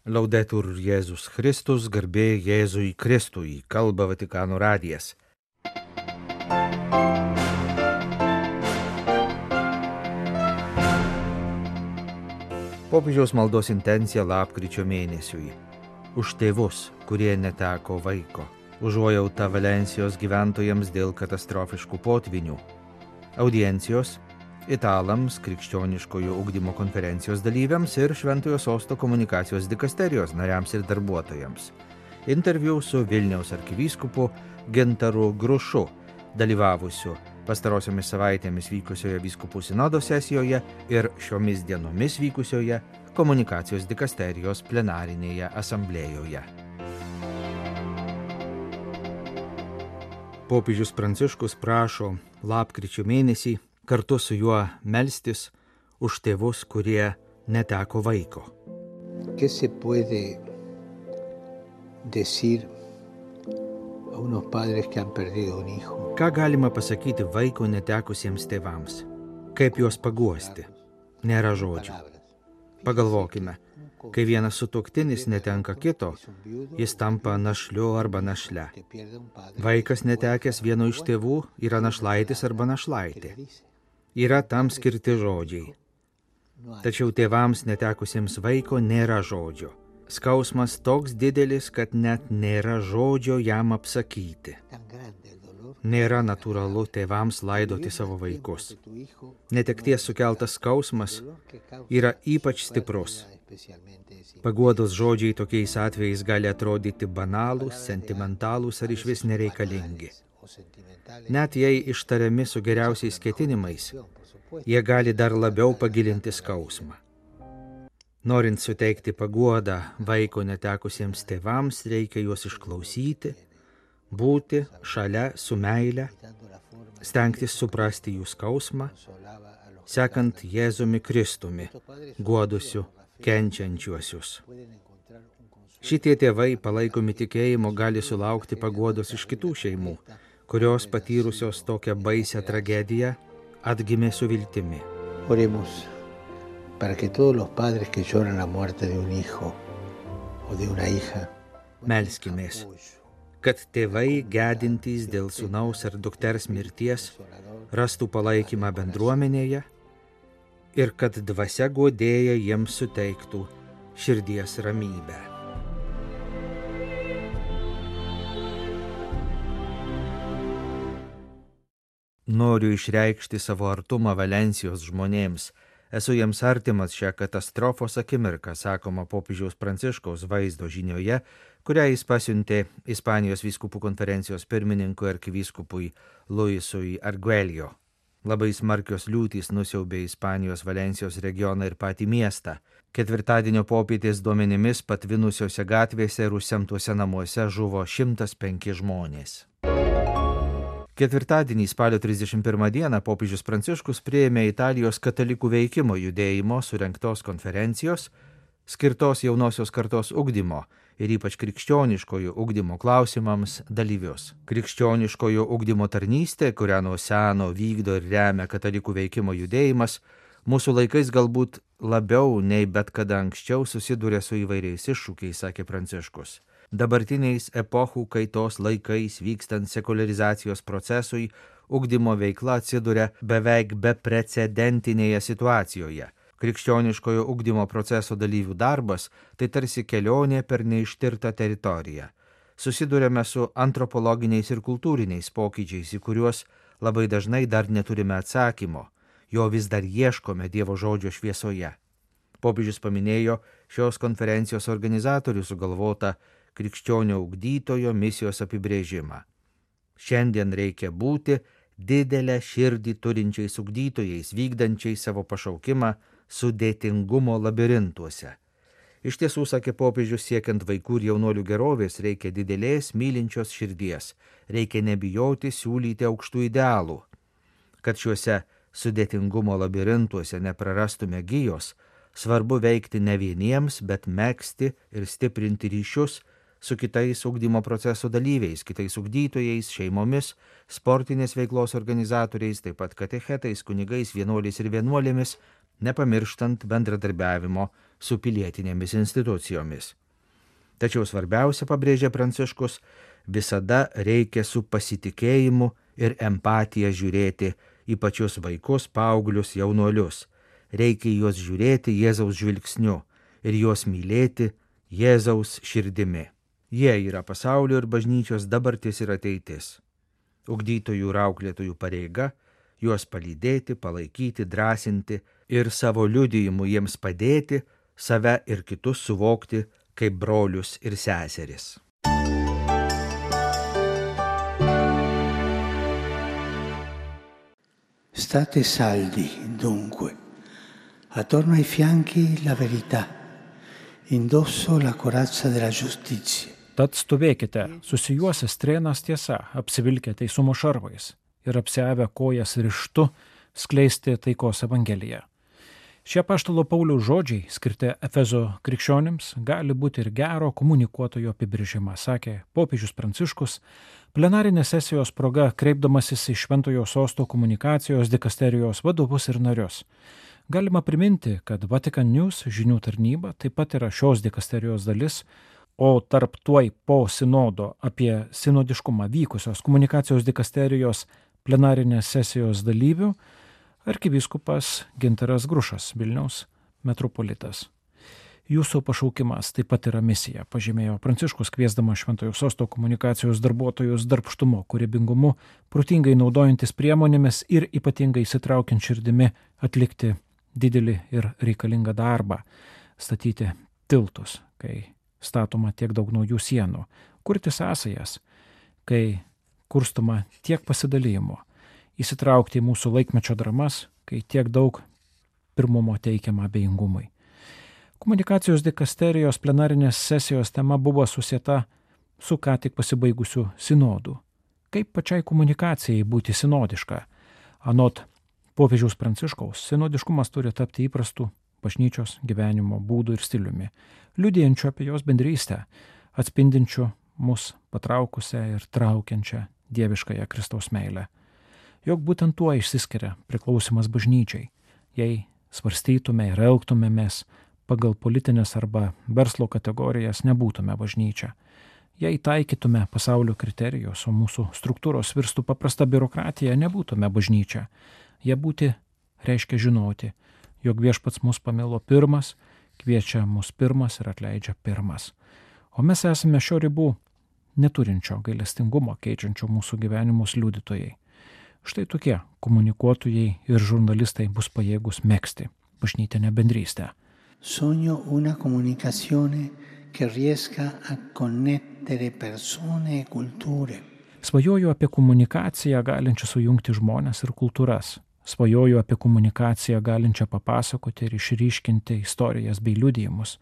Laudetur Jėzus Kristus, garbė Jėzui Kristui, kalba Vatikano radijas. Popiežiaus maldos intencija lapkričio mėnesiui. Už tėvus, kurie neteko vaiko. Užuojauta Valensijos gyventojams dėl katastrofiškų potvinių. Audiencijos italams, krikščioniškojo ugdymo konferencijos dalyviams ir Šventojo Sosto komunikacijos dikasterijos nariams ir darbuotojams. Interviu su Vilniaus arkivyskupu Gintaru Grušu, dalyvavusiu pastarosiomis savaitėmis vykusioje vyskupų sinodo sesijoje ir šiomis dienomis vykusioje komunikacijos dikasterijos plenarinėje asamblėjoje. Popiežius Pranciškus prašo lapkričio mėnesį kartu su juo melstis už tėvus, kurie neteko vaiko. ¿Qué se puede decir a unos padres que han perdido un hijo? Ką galima pasakyti vaiko netekusiems tėvams? Kaip juos paguosti? Nėra žodžių. Pagalvokime, kai vienas sutuoktinis netenka kito, jis tampa našliu arba našle. Vaikas netekęs vieno iš tėvų yra našlaitis arba našlaitė. Yra tam skirti žodžiai. Tačiau tėvams netekusiems vaiko nėra žodžio. Skausmas toks didelis, kad net nėra žodžio jam apsakyti. Nėra natūralu tėvams laidoti savo vaikus. Netekties sukeltas skausmas yra ypač stiprus. Paguodos žodžiai tokiais atvejais gali atrodyti banalūs, sentimentalūs ar išvis nereikalingi. Net jei ištariami su geriausiais ketinimais, jie gali dar labiau pagilinti skausmą. Norint suteikti paguodą vaiko netekusiems tėvams, reikia juos išklausyti, būti šalia su meile, stengtis suprasti jų skausmą, sekant Jėzumi Kristumi, guodusiu kenčiančiuosius. Šitie tėvai, palaikomi tikėjimo, gali sulaukti paguodos iš kitų šeimų, kurios patyrusios tokią baisią tragediją atgimė su viltimi. Oremos para que todos los padres que lloran la muerte de un hijo o de una hija. Melskimės, kad tėvai gedintys dėl sūnaus ar dukters mirties rastų palaikymą bendruomenėje ir kad dvasia guodėja jiems suteiktų širdies ramybę. Noriu išreikšti savo artumą Valensijos žmonėms. Esu jiems artimas šią katastrofos akimirką, sakoma popiežiaus Pranciškaus vaizdo žinioje, kurią jis pasiuntė Ispanijos vyskupų konferencijos pirmininkui arkivyskupui Luisui Arguelio. Labai smarkios liūtys nusiaubė Ispanijos Valensijos regioną ir patį miestą. Ketvirtadienio popietės duomenimis patvinusiose gatvėse ir užsemtuose namuose žuvo 105 žmonės. Ketvirtadienį spalio 31 dieną popiežius Pranciškus priėmė Italijos katalikų veikimo judėjimo surengtos konferencijos, skirtos jaunosios kartos ugdymo ir ypač krikščioniškojo ugdymo klausimams dalyvius. Krikščioniškojo ugdymo tarnystė, kurią nuo seno vykdo ir remia katalikų veikimo judėjimas, mūsų laikais galbūt labiau nei bet kada anksčiau susiduria su įvairiais iššūkiais, sakė Pranciškus. Dabartiniais epochų kaitos laikais vykstant sekularizacijos procesui, ugdymo veikla atsiduria beveik beprecedentinėje situacijoje. Krikščioniškojo ugdymo proceso dalyvių darbas tai tarsi kelionė per neištirtą teritoriją. Susiduriame su antropologiniais ir kultūriniais pokyčiais, į kuriuos labai dažnai dar neturime atsakymo, jo vis dar ieškome Dievo žodžio šviesoje. Popiežius paminėjo šios konferencijos organizatorių sugalvotą krikščionio ugdytojo misijos apibrėžimą. Šiandien reikia būti didelę širdį turinčiais ugdytojais, vykdančiais savo pašaukimą sudėtingumo labirintuose. Iš tiesų, sakė popiežius, siekiant vaikų ir jaunuolių gerovės, reikia didelės mylinčios širdies, reikia nebijoti siūlyti aukštų idealų. Kad šiuose sudėtingumo labirintuose neprarastume gijos, svarbu veikti ne vieniems, bet megzti ir stiprinti ryšius su kitais ugdymo proceso dalyviais, kitais ugdytojais, šeimomis, sportinės veiklos organizatoriais, taip pat katechetais, kunigais, vienuoliais ir vienuolėmis, nepamirštant bendradarbiavimo su pilietinėmis institucijomis. Tačiau svarbiausia, pabrėžia Pranciškus, visada reikia su pasitikėjimu ir empatija žiūrėti į pačius vaikus, paauglius, jaunuolius. Reikia juos žiūrėti Jėzaus žvilgsniu ir juos mylėti Jėzaus širdimi. Jie yra pasaulio ir bažnyčios dabartis ir ateitis. Ugdytojų ir auklėtojų pareiga juos palydėti, palaikyti, drąsinti ir savo liudijimu jiems padėti save ir kitus suvokti kaip brolius ir seseris. State saldi, dunque, attorno ai fianchi la verità, indosso la corazza della giustizia. Tad stovėkite, susijuosę strėnas tiesa, apsivilkę teisumo šarvais ir apsiavę kojas ryžtu skleisti taikos evangeliją. Šie apaštalo Pauliaus žodžiai, skirti Efezo krikščionims, gali būti ir gero komunikuotojo apibrėžimas, sakė popiežius Pranciškus, plenarinės sesijos proga kreipdamasis į Šventojo Sosto komunikacijos dikasterijos vadovus ir narius. Galima priminti, kad Vatican News žinių tarnyba taip pat yra šios dikasterijos dalis, o tarp tuoj po sinodo apie sinodiškumą vykusios komunikacijos dikasterijos plenarinės sesijos dalyvių arkivyskupas Gintaras Grušas, Vilniaus metropolitas. Jūsų pašaukimas taip pat yra misija, pažymėjo Pranciškus, kviesdamas Šventojo Sosto komunikacijos darbuotojus darbštumu, kūrybingumu, protingai naudojantis priemonėmis ir ypatingai įsitraukiant širdimi atlikti didelį ir reikalingą darbą, statyti tiltus, kai statoma tiek daug naujų sienų, kurti sąsajas, kai kurstoma tiek pasidalijimo, įsitraukti į mūsų laikmečio dramas, kai tiek daug pirmumo teikiama abejingumui. Komunikacijos dikasterijos plenarinės sesijos tema buvo susieta su ką tik pasibaigusiu sinodu. Kaip pačiai komunikacijai būti sinodiška? Anot popiežiaus Pranciškaus, sinodiškumas turi tapti įprastų bažnyčios gyvenimo būdų ir stiliumi, liudijančių apie jos bendrystę, atspindinčių mus patraukusią ir traukiančią dieviškąją Kristaus meilę. Jog būtent tuo išsiskiria priklausimas bažnyčiai, jei svarstytume ir elgtumėmės pagal politinės arba verslo kategorijas, nebūtume bažnyčia. Jei taikytume pasaulio kriterijus, o mūsų struktūros virstų paprasta biurokratija, nebūtume bažnyčia. Jie būti reiškia žinoti, jog viešpats mus pamilo pirmas, kviečia mus pirmas ir atleidžia pirmas. O mes esame šio ribų neturinčio gailestingumo keičiančio mūsų gyvenimus liudytojai. Štai tokie komunikuotojai ir žurnalistai bus pajėgus megzti bažnytinę bendrystę. Sogno una comunicazione che riesca a connettere persone e culture. Svajoju apie komunikaciją galinčią sujungti žmones ir kultūras. Svajoju apie komunikaciją galinčią papasakoti ir išryškinti istorijas bei liudijimus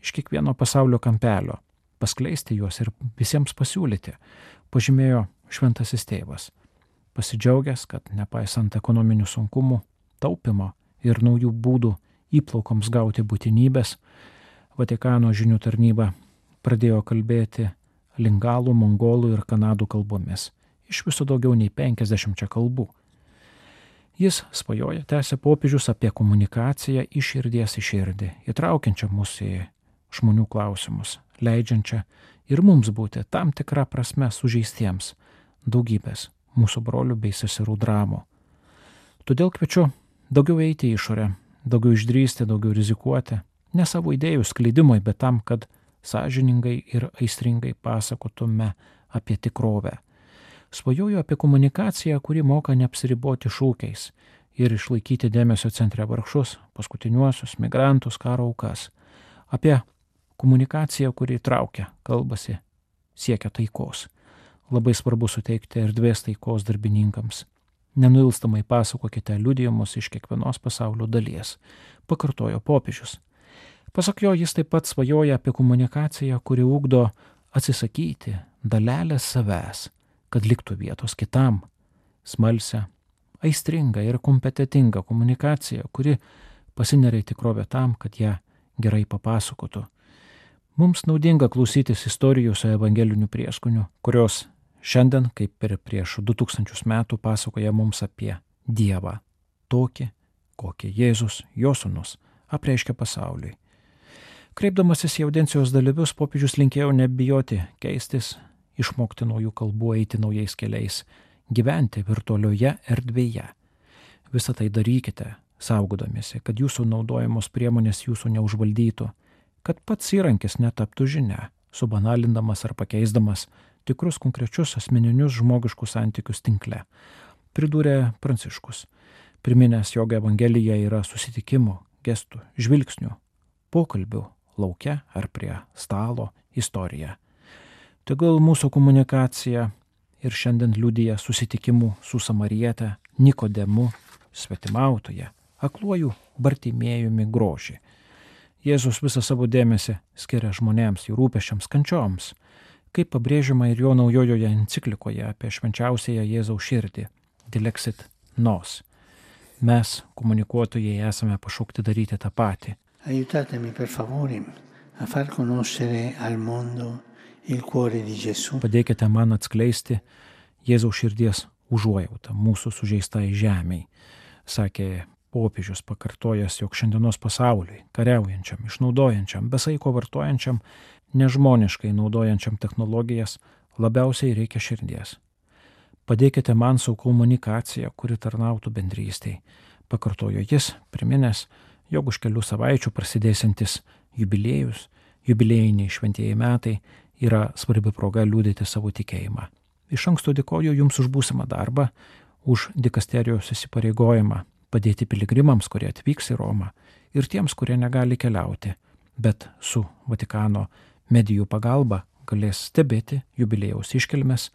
iš kiekvieno pasaulio kampelio, paskleisti juos ir visiems pasiūlyti, pažymėjo šventasis tėvas. Pasidžiaugęs, kad nepaisant ekonominių sunkumų, taupimo ir naujų būdų įplaukoms gauti būtinybės, Vatikano žinių tarnyba pradėjo kalbėti lingalų, mongolų ir kanadų kalbomis, iš viso daugiau nei 50 kalbų. Jis svajoja, tęsė popiežius, apie komunikaciją iš širdies į širdį, įtraukiančią mus į žmonių klausimus, leidžiančią ir mums būti tam tikrą prasme sužeistiems daugybės mūsų brolių bei seserų dramų. Todėl kviečiu daugiau eiti į išorę, daugiau išdrįsti, daugiau rizikuoti, ne savo idėjų skleidimui, bet tam, kad sąžiningai ir aistringai pasakotume apie tikrovę. Svajoju apie komunikaciją, kuri moka neapsiriboti šūkiais ir išlaikyti dėmesio centre vargšus, paskutiniuosius, migrantus, karo aukas. Apie komunikaciją, kuri traukia, kalbasi, siekia taikos. Labai svarbu suteikti erdvės taikos darbininkams. Nenuilstamai pasakokite liudijimus iš kiekvienos pasaulio dalies, pakartojo popiežius. Pasak jo, jis taip pat svajoja apie komunikaciją, kuri ugdo atsisakyti dalelės savęs, kad liktų vietos kitam. Smalsią, aistringą ir kompetitingą komunikaciją, kuri pasineria į tikrovę tam, kad ją gerai papasakotų. Mums naudinga klausytis istorijų su evangeliniu prieskoniu, kurios šiandien, kaip ir prieš 2000 metų, pasakoja mums apie Dievą, tokį, kokį Jėzus, jo sūnus, apreiškia pasauliui. Kreipdamasis į audiencijos dalyvius, popiežius linkėjo nebijoti keistis, išmokti naujų kalbų, eiti naujais keliais, gyventi virtualioje erdvėje. Visą tai darykite, saugodamiesi, kad jūsų naudojamos priemonės jūsų neužvaldytų, kad pats įrankis netaptų žinia, subanalindamas ar pakeisdamas tikrus konkrečius asmeninius žmogiškus santykius tinkle, pridūrė Pranciškus, priminęs, jog Evangelija yra susitikimų, gestų, žvilgsnių, pokalbių lauke ar prie stalo istorija. Tegul mūsų komunikacija ir šiandien liudija susitikimų su Samariete, Nikodemu, svetimautoje, akluoju Bartimėjumi grožį. Jėzus visą savo dėmesį skiria žmonėms, jų rūpesčiams, kančioms, kaip pabrėžiama ir jo naujojoje enciklikoje apie švenčiausiąją Jėzaus širdį Dilexit Nos. Mes, komunikuotojai, esame pašaukti daryti tą patį. Aiutatemi per favore a far conoscere al mondo il cuore di Gesù. Padėkite man atskleisti Jėzaus širdies užuojautą mūsų sužeistai žemei, sakė popiežius, pakartojęs, jog šiandienos pasauliui, kariaujančiam, išnaudojančiam, besaiko vartojančiam, nežmoniškai naudojančiam technologijas, labiausiai reikia širdies. Padėkite man su komunikacija, kuri tarnautų bendrystei, pakartojo jis, priminęs, jog už kelių savaičių prasidėsiantis jubiliejus, jubiliejiniai šventieji metai yra svarbi proga liudyti savo tikėjimą. Iš anksto dėkoju Jums už būsimą darbą, už dikasterijos įsipareigojimą padėti piligrimams, kurie atvyks į Romą, ir tiems, kurie negali keliauti, bet su Vatikano medijų pagalba galės stebėti jubiliejaus iškilmes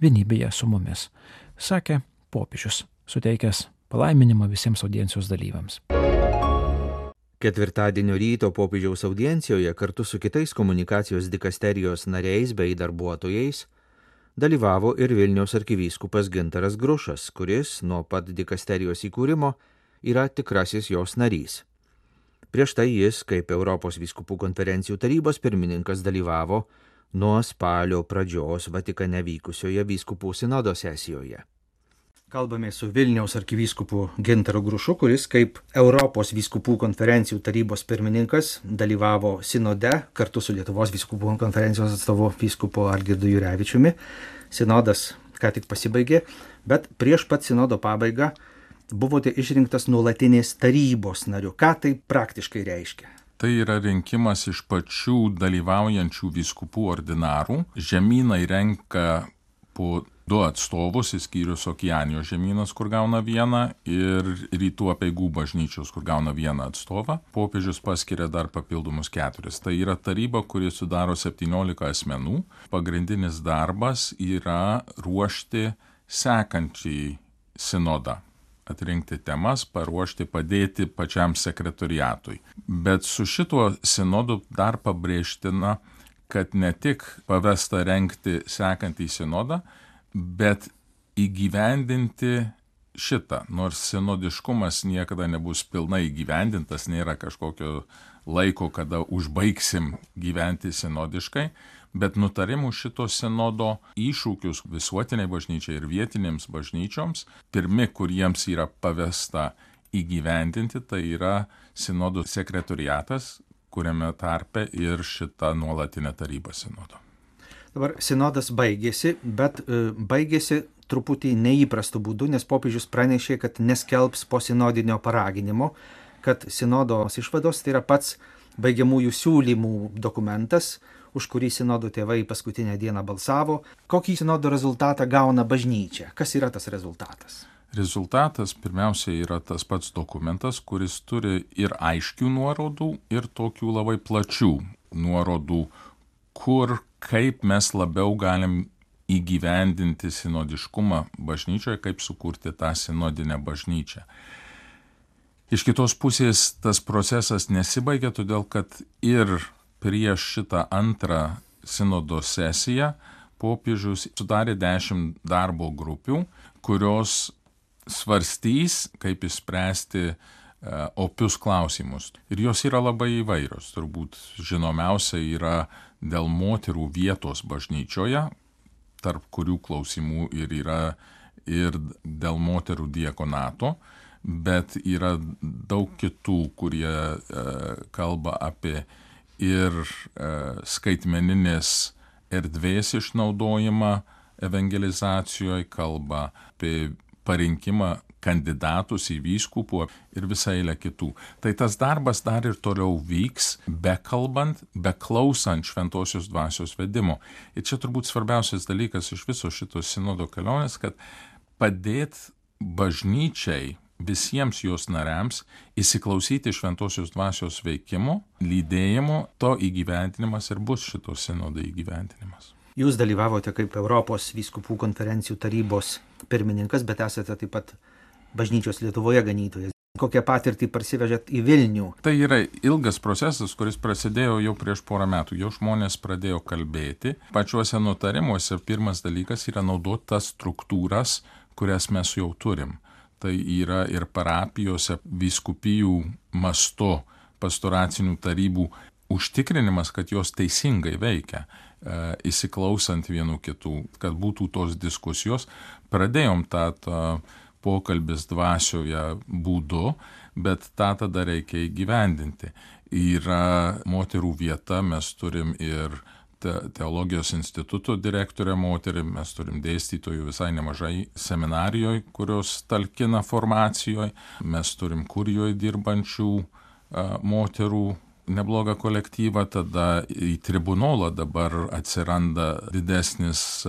vienybėje su mumis, sakė popiežius, suteikęs palaiminimą visiems audiencijos dalyviams. Ketvirtadienio ryto popiežiaus audiencijoje kartu su kitais komunikacijos dikasterijos nariais bei darbuotojais dalyvavo ir Vilniaus arkivyskupas Gintaras Grušas, kuris nuo pat dikasterijos įkūrimo yra tikrasis jos narys. Prieš tai jis, kaip Europos vyskupų konferencijų tarybos pirmininkas, dalyvavo nuo spalio pradžios Vatikane vykusioje vyskupų sinodo sesijoje. Kalbame su Vilniaus arkivyskupu Gintaru Grušu, kuris kaip Europos vyskupų konferencijų tarybos pirmininkas dalyvavo sinode kartu su Lietuvos vyskupų konferencijos atstovu vyskupu Algirdu Jurevičiumi. Sinodas ką tik pasibaigė, bet prieš pat sinodo pabaigą buvote išrinktas nuolatinės tarybos nariu. Ką tai praktiškai reiškia? Tai yra rinkimas iš pačių dalyvaujančių vyskupų ordinarų. Žemynai renka po 2 atstovus, išskyrus Okeanijos žemynas, kur gauna 1, ir rytų apeigų bažnyčios, kur gauna 1 atstovą. Popiežius paskiria dar papildomus 4. Tai yra taryba, kuri sudaro 17 asmenų. Pagrindinis darbas yra ruošti sekančiai sinodą. Atrinkti temas, paruošti, padėti pačiam sekretoriatui. Bet su šituo sinodu dar pabrėžtina, kad ne tik pavesta rengti sekantį sinodą, bet įgyvendinti šitą, nors sinodiškumas niekada nebus pilnai įgyvendintas, nėra kažkokio laiko, kada užbaigsim gyventi sinodiškai, bet nutarimų šito sinodo iššūkius visuotiniai bažnyčiai ir vietinėms bažnyčioms, pirmi, kuriems yra pavesta įgyvendinti, tai yra sinodų sekretoriatas, kuriame tarpe ir šita nuolatinė taryba sinodo. Dabar sinodas baigėsi, bet baigėsi truputį neįprastų būdų, nes popiežius pranešė, kad neskelbs posinodinio paraginimo, kad sinodos išvados tai yra pats baigiamųjų siūlymų dokumentas, už kurį sinodo tėvai paskutinę dieną balsavo. Kokį sinodo rezultatą gauna bažnyčia? Kas yra tas rezultatas? Rezultatas pirmiausia yra tas pats dokumentas, kuris turi ir aiškių nuorodų, ir tokių labai plačių nuorodų, kur kaip mes labiau galim įgyvendinti sinodiškumą bažnyčioje, kaip sukurti tą sinodinę bažnyčią. Iš kitos pusės tas procesas nesibaigia, todėl kad ir prieš šitą antrą sinodo sesiją popiežius sudarė 10 darbo grupių, kurios svarstys, kaip išspręsti opius klausimus. Ir jos yra labai įvairios. Turbūt žinomiausia yra dėl moterų vietos bažnyčioje, tarp kurių klausimų ir yra ir dėl moterų diakonato, bet yra daug kitų, kurie kalba apie ir skaitmeninės erdvės išnaudojimą evangelizacijoje, kalba apie parinkimą kandidatus į vyskupų ir visą eilę kitų. Tai tas darbas dar ir toliau vyks, bekalbant, beklausant šventosios dvasios vedimo. Ir čia turbūt svarbiausias dalykas iš viso šito sinodo kelionės, kad padėt bažnyčiai, visiems jos nariams įsiklausyti šventosios dvasios veikimo, lydėjimo, to įgyvendinimas ir bus šito sinodo įgyvendinimas. Jūs dalyvavote kaip Europos vyskupų konferencijų tarybos pirmininkas, bet esate taip pat bažnyčios Lietuvoje ganytojas. Kokią patirtį parsivežėt į Vilnių? Tai yra ilgas procesas, kuris prasidėjo jau prieš porą metų. Jau žmonės pradėjo kalbėti. Pačiuose nutarimuose pirmas dalykas yra naudoti tas struktūras, kurias mes jau turim. Tai yra ir parapijose vyskupijų mastu pastoracinių tarybų užtikrinimas, kad jos teisingai veikia, įsiklausant vienų kitų, kad būtų tos diskusijos. Pradėjom tą pokalbis dvasioje būdu, bet tą tada reikia įgyvendinti. Yra moterų vieta, mes turim ir teologijos instituto direktorę moterį, mes turim dėstytojų visai nemažai seminarijoje, kurios talkina formacijoje, mes turim kurijoje dirbančių moterų neblogą kolektyvą, tada į tribunolą dabar atsiranda didesnis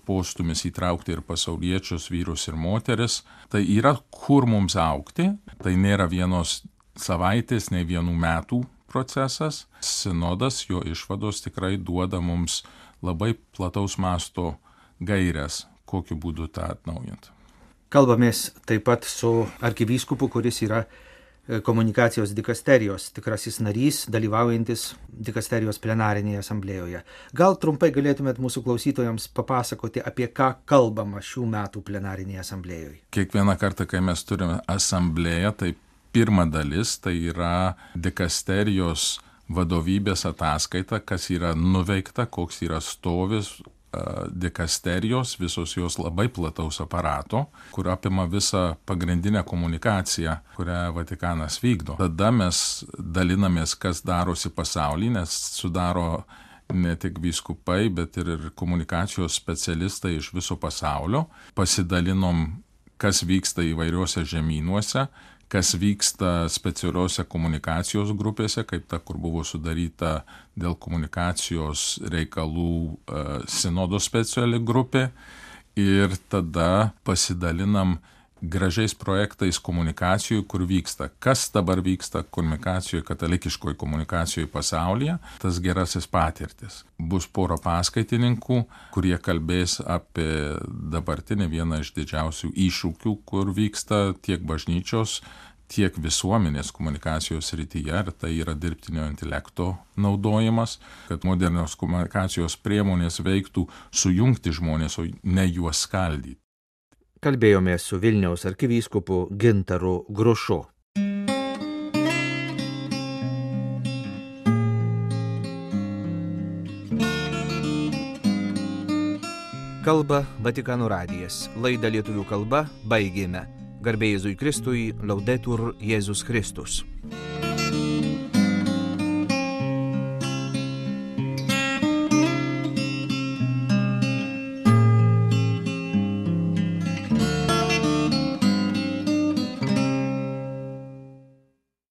postumis įtraukti ir pasauliečius, vyrus ir moteris. Tai yra kur mums augti, tai nėra vienos savaitės, nei vienų metų procesas. Sinodas, jo išvados tikrai duoda mums labai plataus masto gairias, kokiu būdu tą atnaujinti. Kalbamės taip pat su arkivyskupu, kuris yra komunikacijos dikasterijos tikrasis narys, dalyvaujantis dikasterijos plenarinėje asamblėjoje. Gal trumpai galėtumėt mūsų klausytojams papasakoti, apie ką kalbama šių metų plenarinėje asamblėjoje? Kiekvieną kartą, kai mes turime asamblėją, tai pirma dalis tai yra dikasterijos vadovybės ataskaita, kas yra nuveikta, koks yra stovis dikasterijos, visos jos labai plataus aparato, kur apima visą pagrindinę komunikaciją, kurią Vatikanas vykdo. Tada mes dalinamės, kas darosi pasaulyje, nes sudaro ne tik vyskupai, bet ir komunikacijos specialistai iš viso pasaulio. Pasidalinom, kas vyksta įvairiuose žemynuose, kas vyksta specialiuose komunikacijos grupėse, kaip ta, kur buvo sudaryta dėl komunikacijos reikalų sinodo speciali grupė. Ir tada pasidalinam gražiais projektais komunikacijų, kur vyksta. Kas dabar vyksta komunikacijoje, katalikiškoje komunikacijoje pasaulyje, tas gerasis patirtis. Bus pora paskaitininkų, kurie kalbės apie dabartinį vieną iš didžiausių iššūkių, kur vyksta tiek bažnyčios, tiek visuomenės komunikacijos srityje, ir tai yra dirbtinio intelekto naudojimas, kad modernios komunikacijos priemonės veiktų sujungti žmonės, o ne juos skaldyti. Kalbėjomės su Vilniaus arkivyskupu Gintaru Grušu. Kalba Vatikano radijas. Laidą lietuvių kalba baigėme. Garbė Jėzui Kristui, Laudetur Jėzus Kristus.